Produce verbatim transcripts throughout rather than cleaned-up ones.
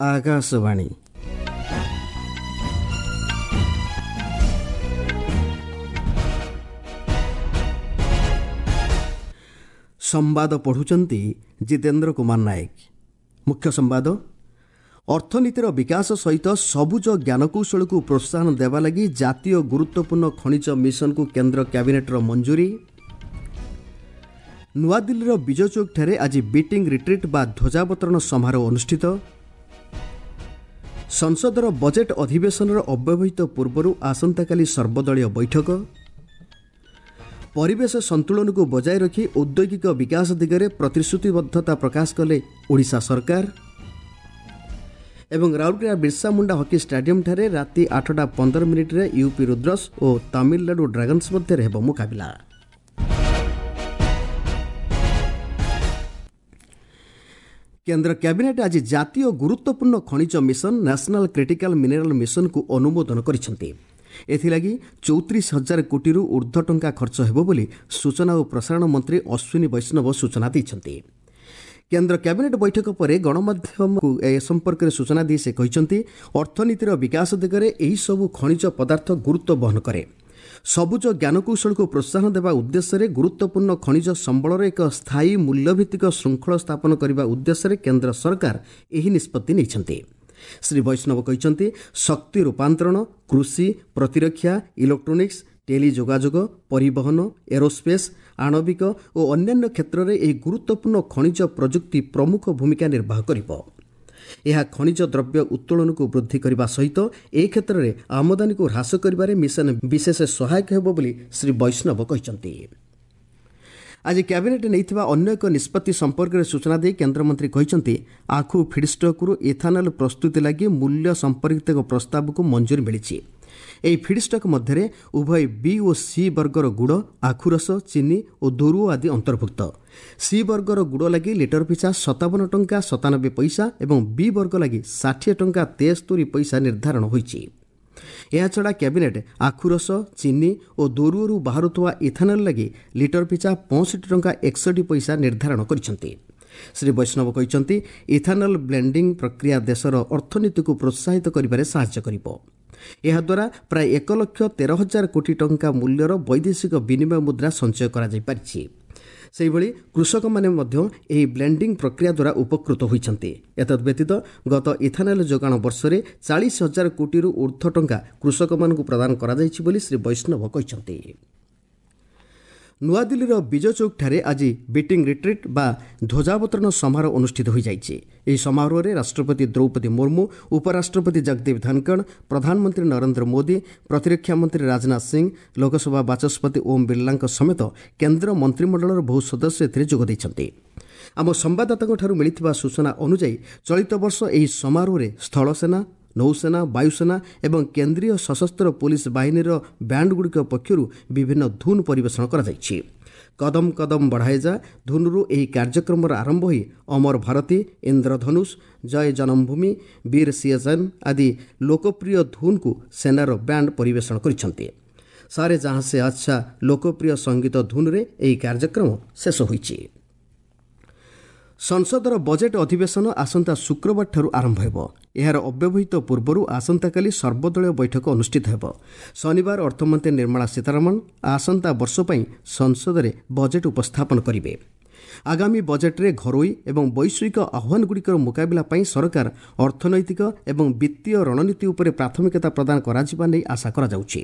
ଆକାଶବାଣୀ। ସମ୍ବାଦ ପଢ଼ୁଛନ୍ତି ଜିତେନ୍ଦ୍ର କୁମାର ନାୟକ। ମୁଖ୍ୟ ସମ୍ବାଦ। ଅର୍ଥନୀତିର ବିକାଶ ସହିତ ସବୁଜ ଜ୍ଞାନକୌଶଳକୁ ପ୍ରୋତ୍ସାହନ ଦେବା ଲାଗି ଜାତୀୟ ଗୁରୁତ୍ୱପୂର୍ଣ୍ଣ ଖଣିଜ ମିଶନକୁ କେନ୍ଦ୍ର କ୍ୟାବିନେଟ୍ର ମଞ୍ଜୁରୀ। ନୂଆଦିଲ୍ଲୀର ବିଜୟ ଚୌକଠାରେ ଆଜି ବିଟିଂ ରିଟ୍ରିଟ୍ ବା ଧ୍ୱଜାବତରଣ ସମାରୋହ ଅନୁଷ୍ଠିତ। ସଂସଦର ବଜେଟ୍ ଅଧିବେଶନର ଅବ୍ୟବହିତ ପୂର୍ବରୁ ଆସନ୍ତାକାଲି ସର୍ବଦଳୀୟ ବୈଠକ। ପରିବେଶ ସନ୍ତୁଳନକୁ ବଜାୟ ରଖି ଔଦ୍ୟୋଗିକ ବିକାଶ ଦିଗରେ ପ୍ରତିଶ୍ରୁତିବଦ୍ଧତା ପ୍ରକାଶ କଲେ ଓଡ଼ିଶା ସରକାର। ଏବଂ ରାଉରକେଲା ବିର୍ସା ମୁଣ୍ଡା ହକି ଷ୍ଟାଡିୟମ୍ଠାରେ ରାତି ଆଠଟା ପନ୍ଦର ମିନିଟ୍ରେ ୟୁପି ରୁଦ୍ରସ୍ ଓ ତାମିଲନାଡୁ ଡ୍ରାଗନ୍ସ ମଧ୍ୟରେ ହେବ ମୁକାବିଲା। କେନ୍ଦ୍ର କ୍ୟାବିନେଟ୍ ଆଜି ଜାତୀୟ ଗୁରୁତ୍ୱପୂର୍ଣ୍ଣ ଖଣିଜ ମିଶନ ନ୍ୟାସନାଲ୍ କ୍ରିଟିକାଲ୍ ମିନେରାଲ୍ ମିଶନକୁ ଅନୁମୋଦନ କରିଛନ୍ତି। ଏଥିଲାଗି ଚଉତିରିଶ ହଜାର କୋଟିରୁ ଉର୍ଦ୍ଧ୍ୱ ଟଙ୍କା ଖର୍ଚ୍ଚ ହେବ ବୋଲି ସୂଚନା ଓ ପ୍ରସାରଣ ମନ୍ତ୍ରୀ ଅଶ୍ୱିନୀ ବୈଷ୍ଣବ ସୂଚନା ଦେଇଛନ୍ତି। କେନ୍ଦ୍ର କ୍ୟାବିନେଟ୍ ବୈଠକ ପରେ ଗଣମାଧ୍ୟମକୁ ଏ ସମ୍ପର୍କରେ ସୂଚନା ଦେଇ ସେ କହିଛନ୍ତି, ଅର୍ଥନୀତିର ବିକାଶ ଦିଗରେ ଏହିସବୁ ଖଣିଜ ପଦାର୍ଥ ଗୁରୁତ୍ୱ ବହନ କରେ। ସବୁଜ ଜ୍ଞାନକୌଶଳକୁ ପ୍ରୋତ୍ସାହନ ଦେବା ଉଦ୍ଦେଶ୍ୟରେ ଗୁରୁତ୍ୱପୂର୍ଣ୍ଣ ଖଣିଜ ସମ୍ବଳର ଏକ ସ୍ଥାୟୀ ମୂଲ୍ୟଭିତ୍ତିକ ଶୃଙ୍ଖଳ ସ୍ଥାପନ କରିବା ଉଦ୍ଦେଶ୍ୟରେ କେନ୍ଦ୍ର ସରକାର ଏହି ନିଷ୍ପତ୍ତି ନେଇଛନ୍ତି। ଶ୍ରୀ ବୈଷ୍ଣବ କହିଛନ୍ତି, ଶକ୍ତି ରୂପାନ୍ତରଣ, କୃଷି, ପ୍ରତିରକ୍ଷା, ଇଲେକ୍ଟ୍ରୋନିକ୍ସ, ଟେଲି ଯୋଗାଯୋଗ, ପରିବହନ, ଏରୋସ୍ପେସ୍, ଆଣବିକ ଓ ଅନ୍ୟାନ୍ୟ କ୍ଷେତ୍ରରେ ଏହି ଗୁରୁତ୍ୱପୂର୍ଣ୍ଣ ଖଣିଜ ପ୍ରଯୁକ୍ତି ପ୍ରମୁଖ ଭୂମିକା ନିର୍ବାହ କରିବ। ଏହା ଖଣିଜ ଦ୍ରବ୍ୟ ଉତ୍ତୋଳନକୁ ବୃଦ୍ଧି କରିବା ସହିତ ଏ କ୍ଷେତ୍ରରେ ଆମଦାନୀକୁ ହ୍ରାସ କରିବାରେ ମିଶନ ବିଶେଷ ସହାୟକ ହେବ ବୋଲି ଶ୍ରୀ ବୈଷ୍ଣବ କହିଛନ୍ତି। ଆଜି କ୍ୟାବିନେଟ୍ ନେଇଥିବା ଅନ୍ୟ ଏକ ନିଷ୍ପତ୍ତି ସମ୍ପର୍କରେ ସୂଚନା ଦେଇ କେନ୍ଦ୍ରମନ୍ତ୍ରୀ କହିଛନ୍ତି, ଆଖୁ ଫିଡ୍ଷ୍ଟକ୍ରୁ ଇଥାନଲ୍ ପ୍ରସ୍ତୁତି ଲାଗି ମୂଲ୍ୟ ସମ୍ପର୍କିତ ଏକ ପ୍ରସ୍ତାବକୁ ମଞ୍ଜୁରୀ ମିଳିଛି। ଏହି ଫିଡ୍ଷ୍ଟକ୍ ମଧ୍ୟରେ ଉଭୟ ବି ଓ ସି ବର୍ଗର ଗୁଡ଼, ଆଖୁରସ, ଚିନି ଓ ଦୋରୁଅ ଆଦି ଅନ୍ତର୍ଭୁକ୍ତ। ସି ବର୍ଗର ଗୁଡ଼ ଲାଗି ଲିଟର ପିଛା ସତାବନ ଟଙ୍କା ସତାନବେ ପଇସା ଏବଂ ବି ବର୍ଗ ଲାଗି ଷାଠିଏ ଟଙ୍କା ତେସ୍ତୋରି ପଇସା ନିର୍ଦ୍ଧାରଣ ହୋଇଛି। ଏହାଛଡ଼ା କ୍ୟାବିନେଟ୍ ଆଖୁରସ, ଚିନି ଓ ଦୋରୁଅରୁ ବାହାରୁଥିବା ଇଥାନଲ୍ ଲାଗି ଲିଟର ପିଛା ପଞ୍ଚଷଠି ଟଙ୍କା ଏକଷଠି ପଇସା ନିର୍ଦ୍ଧାରଣ କରିଛନ୍ତି। ଶ୍ରୀ ବୈଷ୍ଣବ କହିଛନ୍ତି, ଇଥାନଲ୍ ବ୍ଲେଣ୍ଡିଂ ପ୍ରକ୍ରିୟା ଦେଶର ଅର୍ଥନୀତିକୁ ପ୍ରୋତ୍ସାହିତ କରିବାରେ ସାହାଯ୍ୟ କରିବ। ଏହାଦ୍ୱାରା ପ୍ରାୟ ଏକ ଲକ୍ଷ ତେର ହଜାର କୋଟି ଟଙ୍କା ମୂଲ୍ୟର ବୈଦେଶିକ ବିନିମୟ ମୁଦ୍ରା ସଞ୍ଚୟ କରାଯାଇପାରିଛି। ସେହିଭଳି କୃଷକମାନେ ମଧ୍ୟ ଏହି ବ୍ଲେଣ୍ଡିଂ ପ୍ରକ୍ରିୟା ଦ୍ୱାରା ଉପକୃତ ହୋଇଛନ୍ତି। ଏତଦ୍ବ୍ୟତୀତ ଗତ ଇଥାନଲ୍ ଯୋଗାଣ ବର୍ଷରେ ଚାଳିଶ ହଜାର କୋଟିରୁ ଉର୍ଦ୍ଧ୍ୱ ଟଙ୍କା କୃଷକମାନଙ୍କୁ ପ୍ରଦାନ କରାଯାଇଛି ବୋଲି ଶ୍ରୀ ବୈଷ୍ଣବ କହିଛନ୍ତି। ନୂଆଦିଲ୍ଲୀର ବିଜୟ ଚୌକଠାରେ ଆଜି ବିଟିଂ ରିଟ୍ରିଟ୍ ବା ଧ୍ୱଜାବତରଣ ସମାରୋହ ଅନୁଷ୍ଠିତ ହୋଇଯାଇଛି। ଏହି ସମାରୋହରେ ରାଷ୍ଟ୍ରପତି ଦ୍ରୌପଦୀ ମୁର୍ମୁ, ଉପରାଷ୍ଟ୍ରପତି ଜଗଦୀପ ଧନଖଡ଼, ପ୍ରଧାନମନ୍ତ୍ରୀ ନରେନ୍ଦ୍ର ମୋଦି, ପ୍ରତିରକ୍ଷା ମନ୍ତ୍ରୀ ରାଜନାଥ ସିଂ, ଲୋକସଭା ବାଚସ୍ପତି ଓମ୍ ବିର୍ଲାଙ୍କ ସମେତ କେନ୍ଦ୍ର ମନ୍ତ୍ରିମଣ୍ଡଳର ବହୁ ସଦସ୍ୟ ଏଥିରେ ଯୋଗ ଦେଇଛନ୍ତି। ଆମ ସମ୍ବାଦଦାତାଙ୍କଠାରୁ ମିଳିଥିବା ସୂଚନା ଅନୁଯାୟୀ ଚଳିତ ବର୍ଷ ଏହି ସମାରୋହରେ ସ୍ଥଳସେନା, ନୌସେନା, ବାୟୁସେନା ଏବଂ କେନ୍ଦ୍ରୀୟ ସଶସ୍ତ୍ର ପୋଲିସ ବାହିନୀର ବ୍ୟାଣ୍ଡଗୁଡ଼ିକ ପକ୍ଷରୁ ବିଭିନ୍ନ ଧୁନ୍ ପରିବେଷଣ କରାଯାଇଛି। କଦମ କଦମ ବଢ଼ାଏ ଯା ଧୁନ୍ରୁ ଏହି କାର୍ଯ୍ୟକ୍ରମର ଆରମ୍ଭ ହୋଇ ଅମର ଭାରତୀ, ଇନ୍ଦ୍ରଧନୁଷ, ଜୟ ଜନମଭୂମି, ବୀର ସିଆଚେନ୍ ଆଦି ଲୋକପ୍ରିୟ ଧୁନ୍କୁ ସେନାର ବ୍ୟାଣ୍ଡ ପରିବେଷଣ କରିଛନ୍ତି। ସାରେ ଜହାଁ ସେ ଆଚ୍ଛା ଲୋକପ୍ରିୟ ସଙ୍ଗୀତ ଧୁନ୍ରେ ଏହି କାର୍ଯ୍ୟକ୍ରମ ଶେଷ ହୋଇଛି। ସଂସଦର ବଜେଟ୍ ଅଧିବେଶନ ଆସନ୍ତା ଶୁକ୍ରବାରଠାରୁ ଆରମ୍ଭ ହେବ। ଏହାର ଅବ୍ୟବହିତ ପୂର୍ବରୁ ଆସନ୍ତାକାଲି ସର୍ବଦଳୀୟ ବୈଠକ ଅନୁଷ୍ଠିତ ହେବ। ଶନିବାର ଅର୍ଥମନ୍ତ୍ରୀ ନିର୍ମଳା ସୀତାରମଣ ଆସନ୍ତା ବର୍ଷ ପାଇଁ ସଂସଦରେ ବଜେଟ୍ ଉପସ୍ଥାପନ କରିବେ। ଆଗାମୀ ବଜେଟ୍ରେ ଘରୋଇ ଏବଂ ବୈଶ୍ୱିକ ଆହ୍ୱାନଗୁଡ଼ିକର ମୁକାବିଲା ପାଇଁ ସରକାର ଅର୍ଥନୈତିକ ଏବଂ ବିତ୍ତୀୟ ରଣନୀତି ଉପରେ ପ୍ରାଥମିକତା ପ୍ରଦାନ କରାଯିବା ନେଇ ଆଶା କରାଯାଉଛି।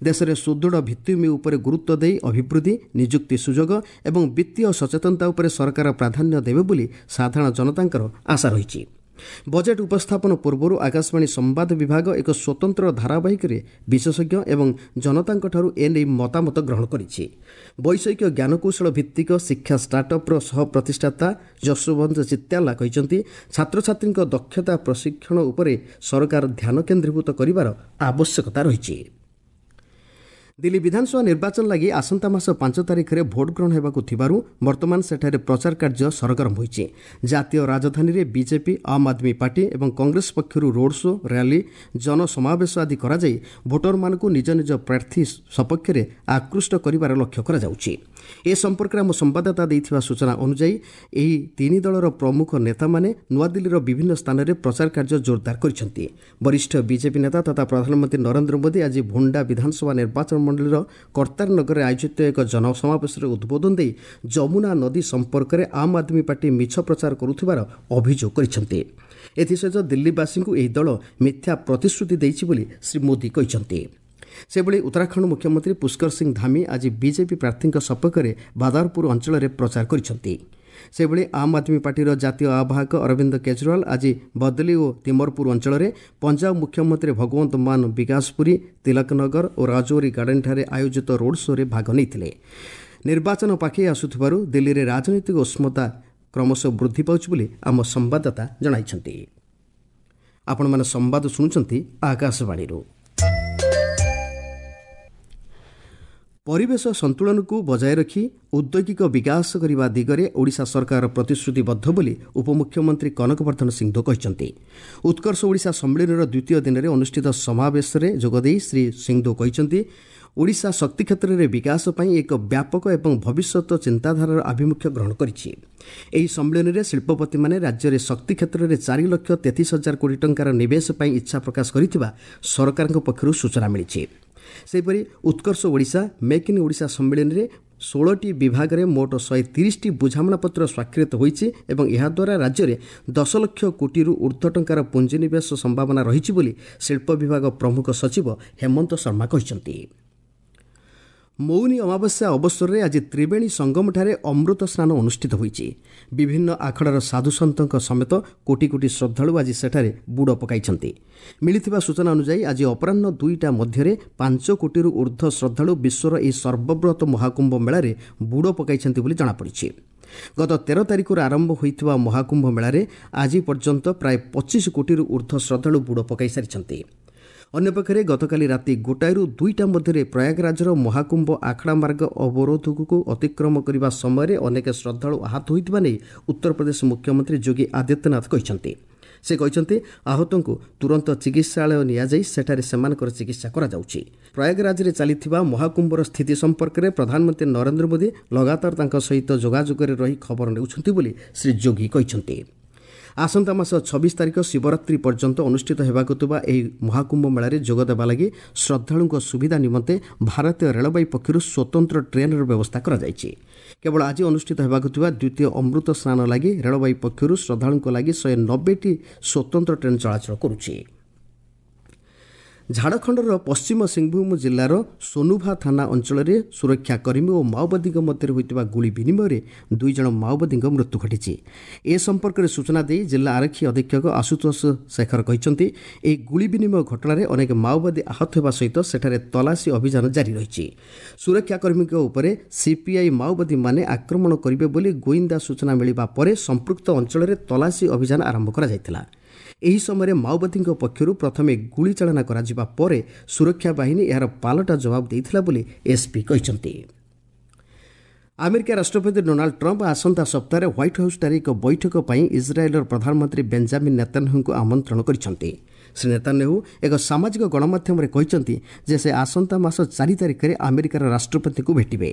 ଦେଶରେ ସୁଦୃଢ଼ ଭିତ୍ତିଭୂମି ଉପରେ ଗୁରୁତ୍ୱ ଦେଇ ଅଭିବୃଦ୍ଧି, ନିଯୁକ୍ତି ସୁଯୋଗ ଏବଂ ବିତ୍ତୀୟ ସଚେତନତା ଉପରେ ସରକାର ପ୍ରାଧାନ୍ୟ ଦେବେ ବୋଲି ସାଧାରଣ ଜନତାଙ୍କର ଆଶା ରହିଛି। ବଜେଟ୍ ଉପସ୍ଥାପନ ପୂର୍ବରୁ ଆକାଶବାଣୀ ସମ୍ବାଦ ବିଭାଗ ଏକ ସ୍ୱତନ୍ତ୍ର ଧାରାବାହିକରେ ବିଶେଷଜ୍ଞ ଏବଂ ଜନତାଙ୍କଠାରୁ ଏନେଇ ମତାମତ ଗ୍ରହଣ କରିଛି। ବୈଷୟିକ ଜ୍ଞାନକୌଶଳ ଭିତ୍ତିକ ଶିକ୍ଷା ଷ୍ଟାର୍ଟଅପ୍ର ସହ ପ୍ରତିଷ୍ଠାତା ଯଶୋବନ୍ତ ଚିତ୍ୟାଲା କହିଛନ୍ତି, ଛାତ୍ରଛାତ୍ରୀଙ୍କ ଦକ୍ଷତା ପ୍ରଶିକ୍ଷଣ ଉପରେ ସରକାର ଧ୍ୟାନ କେନ୍ଦ୍ରୀଭୂତ କରିବାର ଆବଶ୍ୟକତା ରହିଛି। ଦିଲ୍ଲୀ ବିଧାନସଭା ନିର୍ବାଚନ ଲାଗି ଆସନ୍ତା ମାସ ପାଞ୍ଚ ତାରିଖରେ ଭୋଟ୍ ଗ୍ରହଣ ହେବାକୁ ଥିବାରୁ ବର୍ତ୍ତମାନ ସେଠାରେ ପ୍ରଚାର କାର୍ଯ୍ୟ ସରଗରମ ହୋଇଛି। ଜାତୀୟ ରାଜଧାନୀରେ ବିଜେପି, ଆମ୍ ଆଦମୀ ପାର୍ଟି ଏବଂ କଂଗ୍ରେସ ପକ୍ଷରୁ ରୋଡ୍ ଶୋ, ର୍ୟାଲି, ଜନସମାବେଶ ଆଦି କରାଯାଇ ଭୋଟରମାନଙ୍କୁ ନିଜ ନିଜ ପ୍ରାର୍ଥୀ ସପକ୍ଷରେ ଆକୃଷ୍ଟ କରିବାର ଲକ୍ଷ୍ୟ କରାଯାଉଛି। ଏ ସମ୍ପର୍କରେ ଆମ ସମ୍ବାଦଦାତା ଦେଇଥିବା ସୂଚନା ଅନୁଯାୟୀ ଏହି ତିନି ଦଳର ପ୍ରମୁଖ ନେତାମାନେ ନୂଆଦିଲ୍ଲୀର ବିଭିନ୍ନ ସ୍ଥାନରେ ପ୍ରଚାର କାର୍ଯ୍ୟ ଜୋରଦାର କରିଛନ୍ତି। ବରିଷ୍ଠ ବିଜେପି ନେତା ତଥା ପ୍ରଧାନମନ୍ତ୍ରୀ ନରେନ୍ଦ୍ର ମୋଦି ଆଜି ଭୁଣ୍ଡା ବିଧାନସଭା ନିର୍ବାଚନ ମଣ୍ଡଳୀର କର୍ତ୍ତାରନଗରରେ ଆୟୋଜିତ ଏକ ଜନସମାବେଶରେ ଉଦ୍ବୋଧନ ଦେଇ ଯମୁନା ନଦୀ ସମ୍ପର୍କରେ ଆମ୍ ଆଦମୀ ପାର୍ଟି ମିଛ ପ୍ରଚାର କରୁଥିବାର ଅଭିଯୋଗ କରିଛନ୍ତି। ଏଥିସହିତ ଦିଲ୍ଲୀବାସୀଙ୍କୁ ଏହି ଦଳ ମିଥ୍ୟା ପ୍ରତିଶ୍ରୁତି ଦେଇଛି ବୋଲି ଶ୍ରୀ ମୋଦି କହିଛନ୍ତି। ସେହିଭଳି ଉତ୍ତରାଖଣ୍ଡ ମୁଖ୍ୟମନ୍ତ୍ରୀ ପୁଷ୍କର ସିଂ ଧାମି ଆଜି ବିଜେପି ପ୍ରାର୍ଥୀଙ୍କ ସପକ୍ଷରେ ବାଦାରପୁର ଅଞ୍ଚଳରେ ପ୍ରଚାର କରିଛନ୍ତି। ସେହିଭଳି ଆମ୍ ଆଦମୀ ପାର୍ଟିର ଜାତୀୟ ଆବାହକ ଅରବିନ୍ଦ କେଜରିୱାଲ ଆଜି ବଦଲି ଓ ତିମରପୁର ଅଞ୍ଚଳରେ, ପଞ୍ଜାବ ମୁଖ୍ୟମନ୍ତ୍ରୀ ଭଗବନ୍ତ ମାନ ବିକାଶପୁରୀ, ତିଲକନଗର ଓ ରାଜୌରୀ ଗାର୍ଡେନଠାରେ ଆୟୋଜିତ ରୋଡ୍ ଶୋରେ ଭାଗ ନେଇଥିଲେ। ନିର୍ବାଚନ ପାଖେଇ ଆସୁଥିବାରୁ ଦିଲ୍ଲୀରେ ରାଜନୈତିକ ଉଷ୍ମତା କ୍ରମଶଃ ବୃଦ୍ଧି ପାଉଛି ବୋଲି ଆମ ସମ୍ବାଦଦାତା ଜଣାଇଛନ୍ତି। ଆପଣମାନେ ସମ୍ବାଦ ଶୁଣୁଛନ୍ତି ଆକାଶବାଣୀରୁ। ପରିବେଶ ସନ୍ତୁଳନକୁ ବଜାୟ ରଖି ଔଦ୍ୟୋଗିକ ବିକାଶ କରିବା ଦିଗରେ ଓଡ଼ିଶା ସରକାର ପ୍ରତିଶ୍ରୁତିବଦ୍ଧ ବୋଲି ଉପମୁଖ୍ୟମନ୍ତ୍ରୀ କନକବର୍ଦ୍ଧନ ସିଂଦେଓ କହିଛନ୍ତି। ଉତ୍କର୍ଷ ଓଡ଼ିଶା ସମ୍ମିଳନୀର ଦ୍ୱିତୀୟ ଦିନରେ ଅନୁଷ୍ଠିତ ସମାବେଶରେ ଯୋଗଦେଇ ଶ୍ରୀ ସିଂଦେଓ କହିଛନ୍ତି, ଓଡ଼ିଶା ଶକ୍ତି କ୍ଷେତ୍ରରେ ବିକାଶ ପାଇଁ ଏକ ବ୍ୟାପକ ଏବଂ ଭବିଷ୍ୟତ ଚିନ୍ତାଧାରାର ଆଭିମୁଖ୍ୟ ଗ୍ରହଣ କରିଛି। ଏହି ସମ୍ମିଳନୀରେ ଶିଳ୍ପପତିମାନେ ରାଜ୍ୟରେ ଶକ୍ତି କ୍ଷେତ୍ରରେ ଚାରି ଲକ୍ଷ ତେତିଶ ହଜାର କୋଟି ଟଙ୍କାର ନିବେଶ ପାଇଁ ଇଚ୍ଛା ପ୍ରକାଶ କରିଥିବା ସରକାରଙ୍କ ପକ୍ଷରୁ ସୂଚନା ମିଳିଛି। ସେହିପରି ଉତ୍କର୍ଷ ଓଡ଼ିଶା ମେକ୍ ଇନ୍ ଓଡ଼ିଶା ସମ୍ମିଳନୀରେ ଷୋହଳଟି ବିଭାଗରେ ମୋଟ ଶହେ ତିରିଶଟି ବୁଝାମଣାପତ୍ର ସ୍ୱାକ୍ଷରିତ ହୋଇଛି ଏବଂ ଏହାଦ୍ୱାରା ରାଜ୍ୟରେ ଦଶ ଲକ୍ଷ କୋଟିରୁ ଉର୍ଦ୍ଧ୍ୱ ଟଙ୍କାର ପୁଞ୍ଜିନିବେଶ ସମ୍ଭାବନା ରହିଛି ବୋଲି ଶିଳ୍ପ ବିଭାଗ ପ୍ରମୁଖ ସଚିବ ହେମନ୍ତ ଶର୍ମା କହିଛନ୍ତି। ମୌନୀ ଅମାବାସ୍ୟା ଅବସରରେ ଆଜି ତ୍ରିବେଣୀ ସଙ୍ଗମଠାରେ ଅମୃତ ସ୍ନାନ ଅନୁଷ୍ଠିତ ହୋଇଛି। ବିଭିନ୍ନ ଆଖଡ଼ାର ସାଧୁସନ୍ଥଙ୍କ ସମେତ କୋଟି କୋଟି ଶ୍ରଦ୍ଧାଳୁ ଆଜି ସେଠାରେ ବୁଡ଼ ପକାଇଛନ୍ତି। ମିଳିଥିବା ସୂଚନା ଅନୁଯାୟୀ ଆଜି ଅପରାହ୍ନ ଦୁଇଟା ମଧ୍ୟରେ ପାଞ୍ଚ କୋଟିରୁ ଉର୍ଦ୍ଧ୍ୱ ଶ୍ରଦ୍ଧାଳୁ ବିଶ୍ୱର ଏହି ସର୍ବବୃହତ ମହାକୁମ୍ଭ ମେଳାରେ ବୁଡ଼ ପକାଇଛନ୍ତି ବୋଲି ଜଣାପଡ଼ିଛି। ଗତ ତେର ତାରିଖରୁ ଆରମ୍ଭ ହୋଇଥିବା ମହାକୁମ୍ଭ ମେଳାରେ ଆଜି ପର୍ଯ୍ୟନ୍ତ ପ୍ରାୟ ପଚିଶ କୋଟିରୁ ଉର୍ଦ୍ଧ୍ୱ ଶ୍ରଦ୍ଧାଳୁ ବୁଡ଼ ପକାଇ ସାରିଛନ୍ତି। ଅନ୍ୟପକ୍ଷରେ ଗତକାଲି ରାତି ଗୋଟାଏରୁ ଦୁଇଟା ମଧ୍ୟରେ ପ୍ରୟାଗରାଜର ମହାକୁମ୍ଭ ଆଖଡ଼ା ମାର୍ଗ ଅବରୋଧକୁ ଅତିକ୍ରମ କରିବା ସମୟରେ ଅନେକ ଶ୍ରଦ୍ଧାଳୁ ଆହତ ହୋଇଥିବା ନେଇ ଉତ୍ତରପ୍ରଦେଶ ମୁଖ୍ୟମନ୍ତ୍ରୀ ଯୋଗୀ ଆଦିତ୍ୟନାଥ କହିଛନ୍ତି। ସେ କହିଛନ୍ତି, ଆହତଙ୍କୁ ତୁରନ୍ତ ଚିକିତ୍ସାଳୟ ନିଆଯାଇ ସେଠାରେ ସେମାନଙ୍କର ଚିକିତ୍ସା କରାଯାଉଛି। ପ୍ରୟାଗରାଜରେ ଚାଲିଥିବା ମହାକୁମ୍ଭର ସ୍ଥିତି ସମ୍ପର୍କରେ ପ୍ରଧାନମନ୍ତ୍ରୀ ନରେନ୍ଦ୍ର ମୋଦି ଲଗାତାର ତାଙ୍କ ସହିତ ଯୋଗାଯୋଗରେ ରହି ଖବର ନେଉଛନ୍ତି ବୋଲି ଶ୍ରୀ ଯୋଗୀ କହିଛନ୍ତି। ଆସନ୍ତା ମାସ ଛବିଶ ତାରିଖ ଶିବରାତ୍ରି ପର୍ଯ୍ୟନ୍ତ ଅନୁଷ୍ଠିତ ହେବାକୁ ଥିବା ଏହି ମହାକୁମ୍ଭ ମେଳାରେ ଯୋଗ ଦେବା ଲାଗି ଶ୍ରଦ୍ଧାଳୁଙ୍କ ସୁବିଧା ନିମନ୍ତେ ଭାରତୀୟ ରେଳବାଇ ପକ୍ଷରୁ ସ୍ୱତନ୍ତ୍ର ଟ୍ରେନ୍ର ବ୍ୟବସ୍ଥା କରାଯାଇଛି। କେବଳ ଆଜି ଅନୁଷ୍ଠିତ ହେବାକୁ ଥିବା ଦ୍ୱିତୀୟ ଅମୃତ ସ୍ନାନ ଲାଗି ରେଳବାଇ ପକ୍ଷରୁ ଶ୍ରଦ୍ଧାଳୁଙ୍କ ଲାଗି ଶହେ ନବେଟି ସ୍ୱତନ୍ତ୍ର ଟ୍ରେନ୍ ଚଳାଚଳ କରୁଛି। ଝାଡ଼ଖଣ୍ଡର ପଶ୍ଚିମ ସିଂଭୂମ ଜିଲ୍ଲାର ସୋନୁଭା ଥାନା ଅଞ୍ଚଳରେ ସୁରକ୍ଷାକର୍ମୀ ଓ ମାଓବାଦୀଙ୍କ ମଧ୍ୟରେ ହୋଇଥିବା ଗୁଳି ବିନିମୟରେ ଦୁଇ ଜଣ ମାଓବାଦୀଙ୍କ ମୃତ୍ୟୁ ଘଟିଛି। ଏ ସମ୍ପର୍କରେ ସୂଚନା ଦେଇ ଜିଲ୍ଲା ଆରକ୍ଷୀ ଅଧୀକ୍ଷକ ଆଶୁତୋଷ ଶେଖର କହିଛନ୍ତି, ଏହି ଗୁଳି ବିନିମୟ ଘଟଣାରେ ଅନେକ ମାଓବାଦୀ ଆହତ ହେବା ସହିତ ସେଠାରେ ତଲାସୀ ଅଭିଯାନ ଜାରି ରହିଛି। ସୁରକ୍ଷାକର୍ମୀଙ୍କ ଉପରେ ସିପିଆଇ ମାଓବାଦୀମାନେ ଆକ୍ରମଣ କରିବେ ବୋଲି ଗୋଇନ୍ଦା ସୂଚନା ମିଳିବା ପରେ ସମ୍ପୃକ୍ତ ଅଞ୍ଚଳରେ ତଲାସୀ ଅଭିଯାନ ଆରମ୍ଭ କରାଯାଇଥିଲା। ଏହି ସମୟରେ ମାଓବାଦୀଙ୍କ ପକ୍ଷରୁ ପ୍ରଥମେ ଗୁଳିଚାଳନା କରାଯିବା ପରେ ସୁରକ୍ଷା ବାହିନୀ ଏହାର ପାଲଟା ଜବାବ ଦେଇଥିଲା ବୋଲି ଏସ୍ପି କହିଛନ୍ତି। ଆମେରିକା ରାଷ୍ଟ୍ରପତି ଡୋନାଲ୍ଡ ଟ୍ରମ୍ପ ଆସନ୍ତା ସପ୍ତାହରେ ହ୍ୱାଇଟ୍ ହାଉସ୍ଠାରେ ଏକ ବୈଠକ ପାଇଁ ଇସ୍ରାଏଲ୍ର ପ୍ରଧାନମନ୍ତ୍ରୀ ବେଞ୍ଜାମିନ୍ ନେତାନ୍ୟାହୁଙ୍କୁ ଆମନ୍ତ୍ରଣ କରିଛନ୍ତି। ଶ୍ରୀ ନେତାନ୍ୟାହୁ ଏକ ସାମାଜିକ ଗଣମାଧ୍ୟମରେ କହିଛନ୍ତି ଯେ ସେ ଆସନ୍ତା ମାସ ଚାରି ତାରିଖରେ ଆମେରିକାର ରାଷ୍ଟ୍ରପତିଙ୍କୁ ଭେଟିବେ।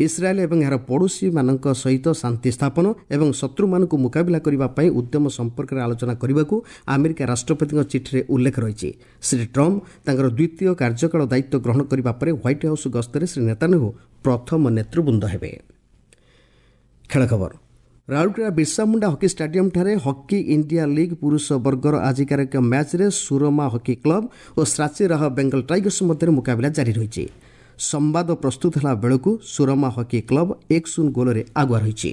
ଇସ୍ରାଏଲ୍ ଏବଂ ଏହାର ପଡ଼ୋଶୀମାନଙ୍କ ସହିତ ଶାନ୍ତି ସ୍ଥାପନ ଏବଂ ଶତ୍ରୁମାନଙ୍କୁ ମୁକାବିଲା କରିବା ପାଇଁ ଉଦ୍ୟମ ସମ୍ପର୍କରେ ଆଲୋଚନା କରିବାକୁ ଆମେରିକା ରାଷ୍ଟ୍ରପତିଙ୍କ ଚିଠିରେ ଉଲ୍ଲେଖ ରହିଛି। ଶ୍ରୀ ଟ୍ରମ୍ପ ତାଙ୍କର ଦ୍ୱିତୀୟ କାର୍ଯ୍ୟକାଳ ଦାୟିତ୍ୱ ଗ୍ରହଣ କରିବା ପରେ ହ୍ୱାଇଟ୍ ହାଉସ୍ ଗସ୍ତରେ ଶ୍ରୀ ନେତାନ୍ୟାହୁ ପ୍ରଥମ ନେତୃବୃନ୍ଦ ହେବେ। ଖେଳ ଖବର। Rourkela Birsa Munda hockey ଷ୍ଟାଡିୟମଠାରେ hockey India league ପୁରୁଷ ବର୍ଗର ଆଜିକାର ଏକ ମ୍ୟାଚ୍ରେ ସୁରମା ହକି କ୍ଲବ ଓ ଶ୍ରାଚୀ ରାହ ବେଙ୍ଗଲ ଟାଇଗର୍ସ ମଧ୍ୟରେ ମୁକାବିଲା ଜାରି ରହିଛି। ସମ୍ବାଦ ପ୍ରସ୍ତୁତ ହେଲା ବେଳକୁ ସୁରମା ହକି କ୍ଲବ ଏକ ଶୂନ ଗୋଲରେ ଆଗୁଆ ରହିଛି।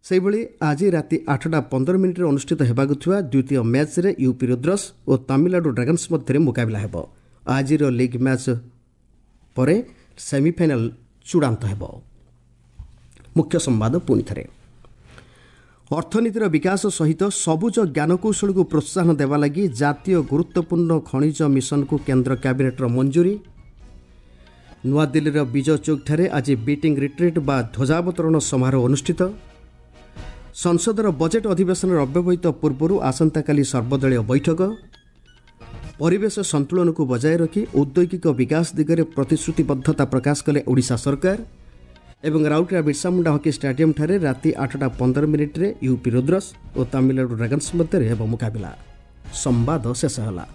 ସେହିଭଳି ଆଜି ରାତି ଆଠଟା ପନ୍ଦର ମିନିଟ୍ରେ ଅନୁଷ୍ଠିତ ହେବାକୁ ଥିବା ଦ୍ୱିତୀୟ ମ୍ୟାଚ୍ରେ ୟୁପି ରୁଦ୍ରସ୍ ଓ ତାମିଲନାଡୁ ଡ୍ରାଗନ୍ସ ମଧ୍ୟରେ ମୁକାବିଲା ହେବ। ଆଜିର ଲିଗ୍ ମ୍ୟାଚ୍ ପରେ ସେମିଫାଇନାଲ ଚୂଡ଼ାନ୍ତ ହେବ। ମୁଖ୍ୟ ସମ୍ବାଦ ପୁଣି ଥରେ। ଅର୍ଥନୀତିର ବିକାଶ ସହିତ ସବୁଜ ଜ୍ଞାନକୌଶଳକୁ ପ୍ରୋତ୍ସାହନ ଦେବା ଲାଗି ଜାତୀୟ ଗୁରୁତ୍ୱପୂର୍ଣ୍ଣ ଖଣିଜ ମିଶନକୁ କେନ୍ଦ୍ର କ୍ୟାବିନେଟ୍ର ମଞ୍ଜୁରୀ। ନୂଆଦିଲ୍ଲୀର ବିଜୟ ଚୌକଠାରେ ଆଜି ବିଟିଂ ରିଟ୍ରିଟ୍ ବା ଧ୍ୱଜାବତରଣ ସମାରୋହ ଅନୁଷ୍ଠିତ। ସଂସଦର ବଜେଟ୍ ଅଧିବେଶନର ଅବ୍ୟବହିତ ପୂର୍ବରୁ ଆସନ୍ତାକାଲି ସର୍ବଦଳୀୟ ବୈଠକ। ପରିବେଶ ସନ୍ତୁଳନକୁ ବଜାୟ ରଖି ଔଦ୍ୟୋଗିକ ବିକାଶ ଦିଗରେ ପ୍ରତିଶ୍ରୁତିବଦ୍ଧତା ପ୍ରକାଶ କଲେ ଓଡ଼ିଶା ସରକାର। ଏବଂ ରାଉରକେଲା ବିର୍ସାମୁଣ୍ଡା ହକି ଷ୍ଟାଡିୟମ୍ଠାରେ ରାତି ଆଠଟା ପନ୍ଦର ମିନିଟ୍ରେ ୟୁପି ରୁଦ୍ରସ୍ ଓ ତାମିଲନାଡୁ ଡ୍ରାଗନ୍ସ ମଧ୍ୟରେ ହେବ ମୁକାବିଲା। ସମ୍ବାଦ ଶେଷ ହେଲା।